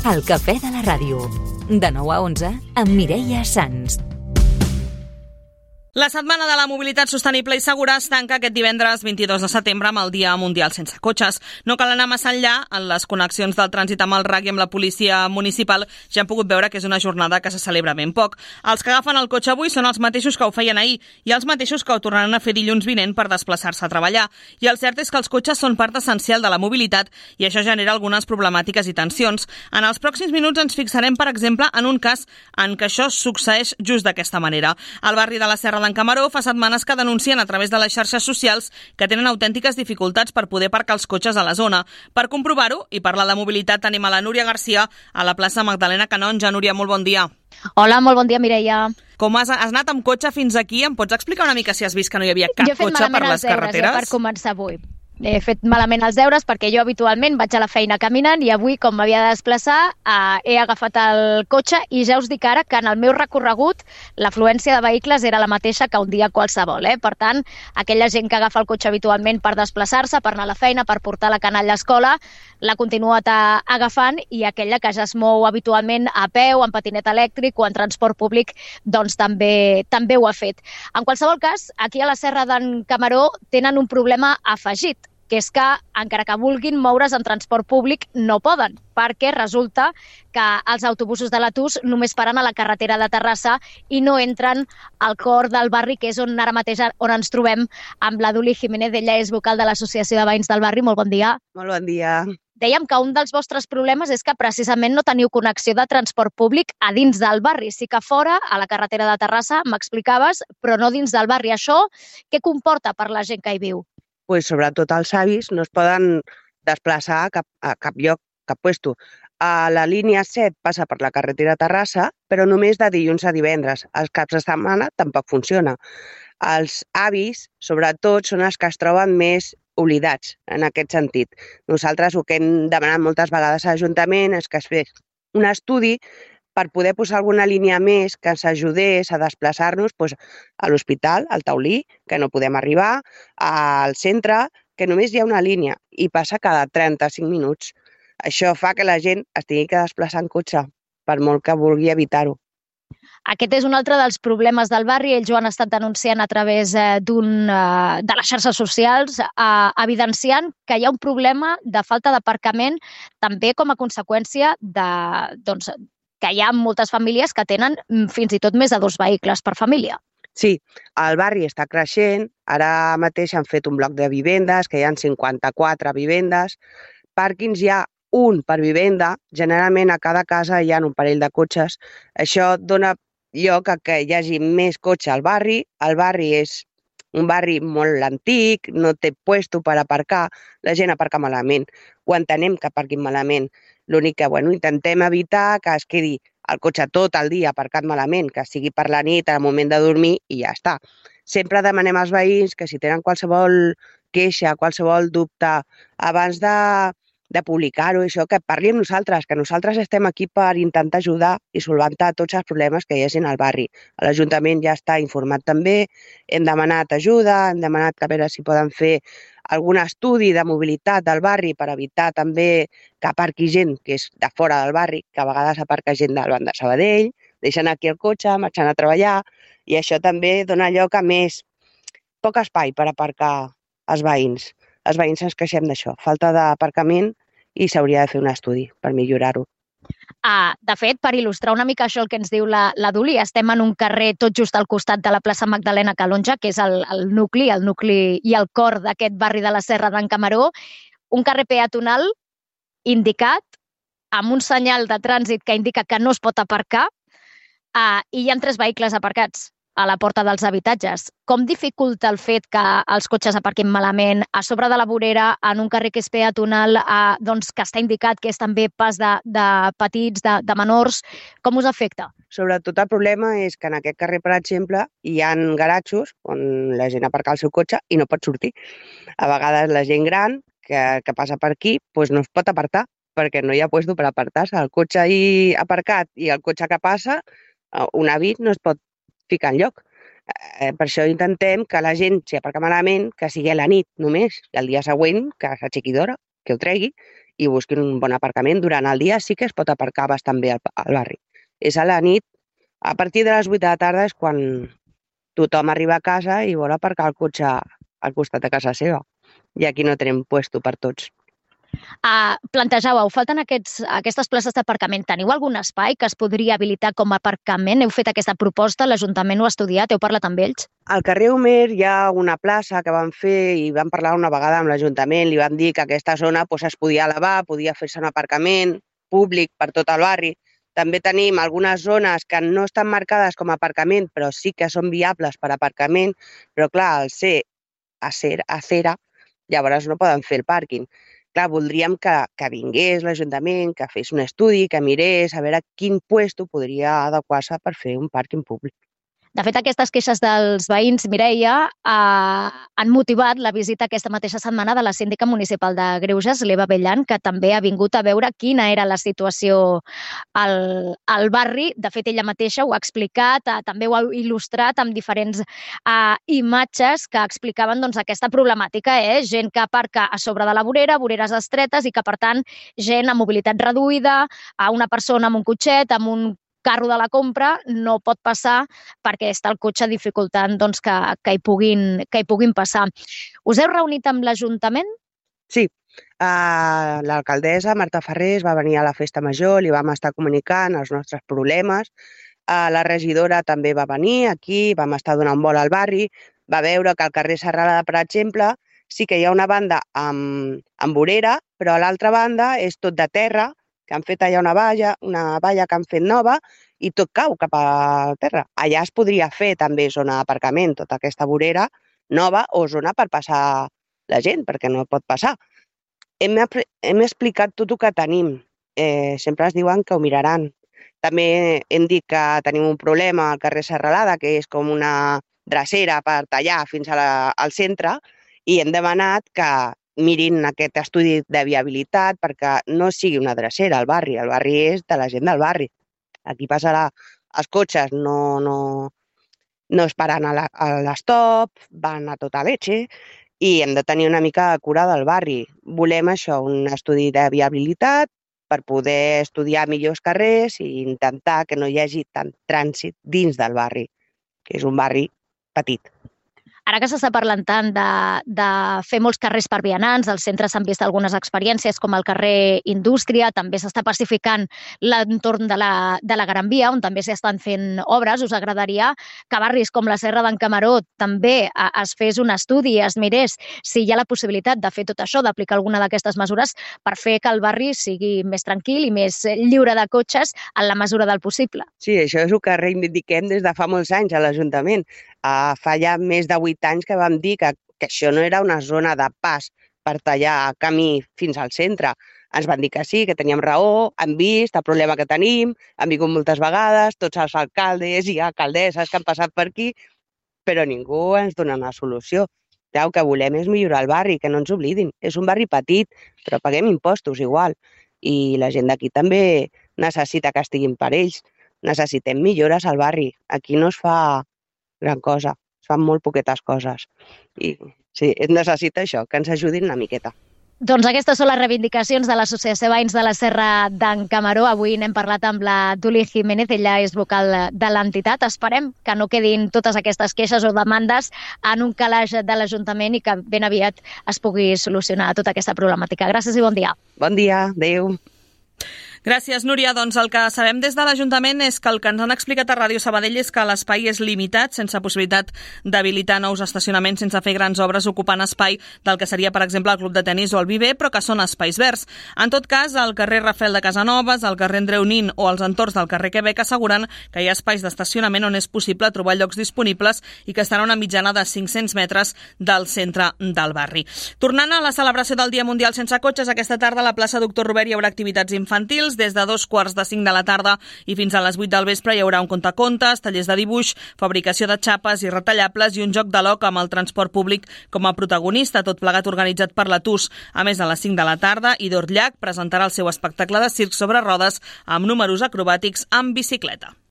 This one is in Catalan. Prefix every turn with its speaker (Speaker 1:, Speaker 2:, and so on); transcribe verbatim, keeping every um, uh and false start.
Speaker 1: El cafè de la ràdio. De nou a onze, amb Mireia Sans.
Speaker 2: La Setmana de la Mobilitat Sostenible i Segura es tanca aquest divendres vint-i-dos de setembre amb el Dia Mundial Sense Cotxes. No cal anar massa enllà. En les connexions del trànsit amb el R A C i amb la policia municipal ja hem pogut veure que és una jornada que se celebra ben poc. Els que agafen el cotxe avui són els mateixos que ho feien ahir i els mateixos que ho tornaran a fer dilluns vinent per desplaçar-se a treballar. I el cert és que els cotxes són part essencial de la mobilitat i això genera algunes problemàtiques i tensions. En els pròxims minuts ens fixarem, per exemple, en un cas en què això succeeix just d'aquesta manera. Al barri de la Serra d'en Camaró fa setmanes que denuncien a través de les xarxes socials que tenen autèntiques dificultats per poder aparcar els cotxes a la zona. Per comprovar-ho i parlar de mobilitat tenim a la Núria Garcia a la plaça Magdalena Canonja. Núria, molt bon dia.
Speaker 3: Hola, molt bon dia, Mireia.
Speaker 2: Com has, has anat amb cotxe fins aquí? Em pots explicar una mica si has vist que no hi havia cap cotxe per les carreteres?
Speaker 3: Jo he fet malament els deures, eh, per començar avui. He fet malament els deures perquè jo habitualment vaig a la feina caminant i avui, com m'havia de desplaçar, eh, he agafat el cotxe i ja us dic ara que en el meu recorregut l'afluència de vehicles era la mateixa que un dia qualsevol. Eh? Per tant, aquella gent que agafa el cotxe habitualment per desplaçar-se, per anar a la feina, per portar la canalla a l'escola, l'ha continuat agafant i aquella que ja es mou habitualment a peu, en patinet elèctric o en transport públic, doncs també, també ho ha fet. En qualsevol cas, aquí a la Serra d'en Camaró tenen un problema afegit, que és que, encara que vulguin moure's en transport públic, no poden, perquè resulta que els autobusos de l'Atus només paren a la carretera de Terrassa i no entren al cor del barri, que és on ara mateix on ens trobem amb la Duli Jiménez. Ella és vocal de l'Associació de Veïns del Barri. Molt bon dia.
Speaker 4: Molt bon dia.
Speaker 3: Dèiem que un dels vostres problemes és que precisament no teniu connexió de transport públic a dins del barri. Sí que fora, a la carretera de Terrassa, m'explicaves, però no dins del barri. Això què comporta per la gent que hi viu?
Speaker 4: Pues sobretot els avis no es poden desplaçar a cap, a cap lloc, cap puesto. A la línia set passa per la carretera de Terrassa, però només de dilluns a divendres. Els caps de setmana tampoc funciona. Els avis, sobretot, són els que es troben més oblidats en aquest sentit. Nosaltres el que hem demanat moltes vegades a l'Ajuntament és que es fes un estudi per poder posar alguna línia més que ens ajudés a desplaçar-nos doncs, a l'hospital, al Taulí, que no podem arribar, al centre, que només hi ha una línia i passa cada trenta-cinc minuts. Això fa que la gent es tingui que desplaçar en cotxe, per molt que vulgui evitar-ho.
Speaker 3: Aquest és un altre dels problemes del barri. Ells ho han estat denunciant a través d'un, de les xarxes socials, eh, evidenciant que hi ha un problema de falta d'aparcament també com a conseqüència de, doncs, que hi ha moltes famílies que tenen fins i tot més de dos vehicles per família.
Speaker 4: Sí, el barri està creixent. Ara mateix han fet un bloc de vivendes, que hi ha cinquanta-quatre vivendes. Pàrquings hi ha un per vivenda. Generalment a cada casa hi ha un parell de cotxes. Això dona lloc a que hi hagi més cotxe al barri. El barri és un barri molt antic, no té puesto per aparcar. La gent aparca malament. Ho entenem que aparquin malament. L'únic que bueno, intentem evitar que es quedi el cotxe tot el dia aparcat malament, que sigui per la nit, al moment de dormir, i ja està. Sempre demanem als veïns que si tenen qualsevol queixa, qualsevol dubte, abans de, de publicar-ho, això, que parli amb nosaltres, que nosaltres estem aquí per intentar ajudar i solventar tots els problemes que hi hagi al barri. L'Ajuntament ja està informat també, hem demanat ajuda, hem demanat que a veure si poden fer algun estudi de mobilitat del barri per evitar també que aparqui gent que és de fora del barri, que a vegades aparca gent del banc de Sabadell, deixen aquí el cotxe, marxant a treballar, i això també dona lloc a més poc espai per aparcar els veïns. Els veïns ens queixem d'això, falta d'aparcament, i s'hauria de fer un estudi per millorar-ho.
Speaker 3: Ah, de fet, per il·lustrar una mica això el que ens diu la, la Duli, estem en un carrer tot just al costat de la plaça Magdalena Canonja, que és el, el nucli, el nucli i el cor d'aquest barri de la Serra d'en Camaró, un carrer peatonal indicat amb un senyal de trànsit que indica que no es pot aparcar, ah, i hi ha tres vehicles aparcats a la porta dels habitatges. Com dificulta el fet que els cotxes aparquin malament a sobre de la vorera, en un carrer que és peatonal, eh, doncs que està indicat que és també pas de, de petits, de, de menors? Com us afecta?
Speaker 4: Sobretot el problema és que en aquest carrer, per exemple, hi ha garatjos on la gent aparca el seu cotxe i no pot sortir. A vegades la gent gran que, que passa per aquí doncs no es pot apartar perquè no hi ha lloc per apartar-se. El cotxe ahí aparcat i el cotxe que passa, un avi no es pot ficar enlloc. Eh, per això intentem que la gent, si aparca malament, que sigui a la nit només, i el dia següent que s'aixequi d'hora, que ho tregui, i busquin un bon aparcament. Durant el dia sí que es pot aparcar bastant bé al, al barri. És a la nit, a partir de les vuit de la tarda és quan tothom arriba a casa i vol aparcar el cotxe al costat de casa seva. I aquí no tenim puesto per tots.
Speaker 3: Uh, plantejàveu, falten aquests, aquestes places d'aparcament. Teniu algun espai que es podria habilitar com a aparcament? Heu fet aquesta proposta? L'Ajuntament ho ha estudiat? Heu parlat amb ells?
Speaker 4: Al carrer Homer hi ha una plaça que van fer i van parlar una vegada amb l'Ajuntament. Li van dir que aquesta zona pues, es podia elevar, podia fer-se un aparcament públic per tot el barri. També tenim algunes zones que no estan marcades com a aparcament, però sí que són viables per aparcament, però clar, al ser acera, llavors no poden fer el pàrquing. Clar, voldríem que, que vingués l'Ajuntament, que fes un estudi, que mirés a veure quin puesto podria adequar-se per fer un pàrquing públic.
Speaker 3: De fet, aquestes queixes dels veïns, Mireia, eh, han motivat la visita aquesta mateixa setmana de la síndica municipal de Greuges, l'Eva Bellan, que també ha vingut a veure quina era la situació al, al barri. De fet, ella mateixa ho ha explicat, eh, també ho ha il·lustrat amb diferents eh, imatges que explicaven doncs, aquesta problemàtica. Eh? Gent que aparca a sobre de la vorera, voreres estretes, i que, per tant, gent amb mobilitat reduïda, a una persona amb un cotxet, amb un carro de la compra, no pot passar perquè està el cotxe dificultant doncs, que, que, hi puguin, que hi puguin passar. Us heu reunit amb l'Ajuntament?
Speaker 4: Sí. Uh, l'alcaldessa Marta Ferrés va venir a la festa major, li vam estar comunicant els nostres problemes. Uh, la regidora també va venir aquí, vam estar donant vol al barri, va veure que al carrer Serralada, per exemple, sí que hi ha una banda amb, amb vorera, però a l'altra banda és tot de terra, que han fet allà una valla, una valla que han fet nova i tot cau cap a terra. Allà es podria fer també zona d'aparcament, tota aquesta vorera nova o zona per passar la gent, perquè no pot passar. Hem, hem explicat tot el que tenim. Eh, sempre es diuen que ho miraran. També hem dit que tenim un problema al carrer Serralada, que és com una drecera per tallar fins a la, al centre, i hem demanat que mirin aquest estudi de viabilitat perquè no sigui una drecera al barri. El barri és de la gent del barri. Aquí passarà els cotxes, no, no, no es paren a l'estop, van a tota leche i hem de tenir una mica de cura del barri. Volem això, un estudi de viabilitat per poder estudiar millors carrers i intentar que no hi hagi tant trànsit dins del barri, que és un barri petit.
Speaker 3: Ara que s'està parlant tant de, de fer molts carrers per vianants, als centres s'han vist algunes experiències com el carrer Indústria, també s'està pacificant l'entorn de, la, de la Gran Via, on també s'estan fent obres. Us agradaria que barris com la Serra d'en Camaró també es fes un estudi i es mirés si hi ha la possibilitat de fer tot això, d'aplicar alguna d'aquestes mesures per fer que el barri sigui més tranquil i més lliure de cotxes en la mesura del possible.
Speaker 4: Sí, això és el que reivindiquem des de fa molts anys a l'Ajuntament. Uh, fa ja més de vuit anys que vam dir que, que això no era una zona de pas per tallar camí fins al centre. Ens van dir que sí, que teníem raó, han vist el problema que tenim, han vingut moltes vegades, tots els alcaldes i alcaldesses que han passat per aquí, però ningú ens dona una solució. El que volem és millorar el barri, que no ens oblidin. És un barri petit, però paguem impostos igual. I la gent d'aquí també necessita que estiguin per ells. Necessitem millores al barri. Aquí no es fa gran cosa, es fan molt poquetes coses. I sí, es necessita això, que ens ajudin una miqueta.
Speaker 3: Doncs aquestes són les reivindicacions de l'Associació Veïns de la Serra d'en Camaró. Avui n'hem parlat amb la Duli Jiménez, ella és vocal de l'entitat. Esperem que no quedin totes aquestes queixes o demandes en un calaix de l'Ajuntament i que ben aviat es pugui solucionar tota aquesta problemàtica. Gràcies i bon dia.
Speaker 4: Bon dia, adéu.
Speaker 2: Gràcies, Núria. Doncs el que sabem des de l'Ajuntament és que el que ens han explicat a Ràdio Sabadell és que l'espai és limitat, sense possibilitat d'habilitar nous estacionaments, sense fer grans obres ocupant espai del que seria, per exemple, el Club de Tenis o el Viver, però que són espais verds. En tot cas, al carrer Rafael de Casanovas, al carrer Andreu Nin o als entorns del carrer Quebec asseguren que hi ha espais d'estacionament on és possible trobar llocs disponibles i que estan a una mitjana de cinc-cents metres del centre del barri. Tornant a la celebració del Dia Mundial Sense Cotxes, aquesta tarda a la plaça Doctor Robert hi haurà activitats infantils. Des de dos quarts de cinc de la tarda i fins a les vuit del vespre hi haurà un contacontes, tallers de dibuix, fabricació de xapes i retallables i un joc de loc amb el transport públic com a protagonista, tot plegat organitzat per la T U S. A més, a les cinc de la tarda, Idor Llach presentarà el seu espectacle de circ sobre rodes amb números acrobàtics amb bicicleta.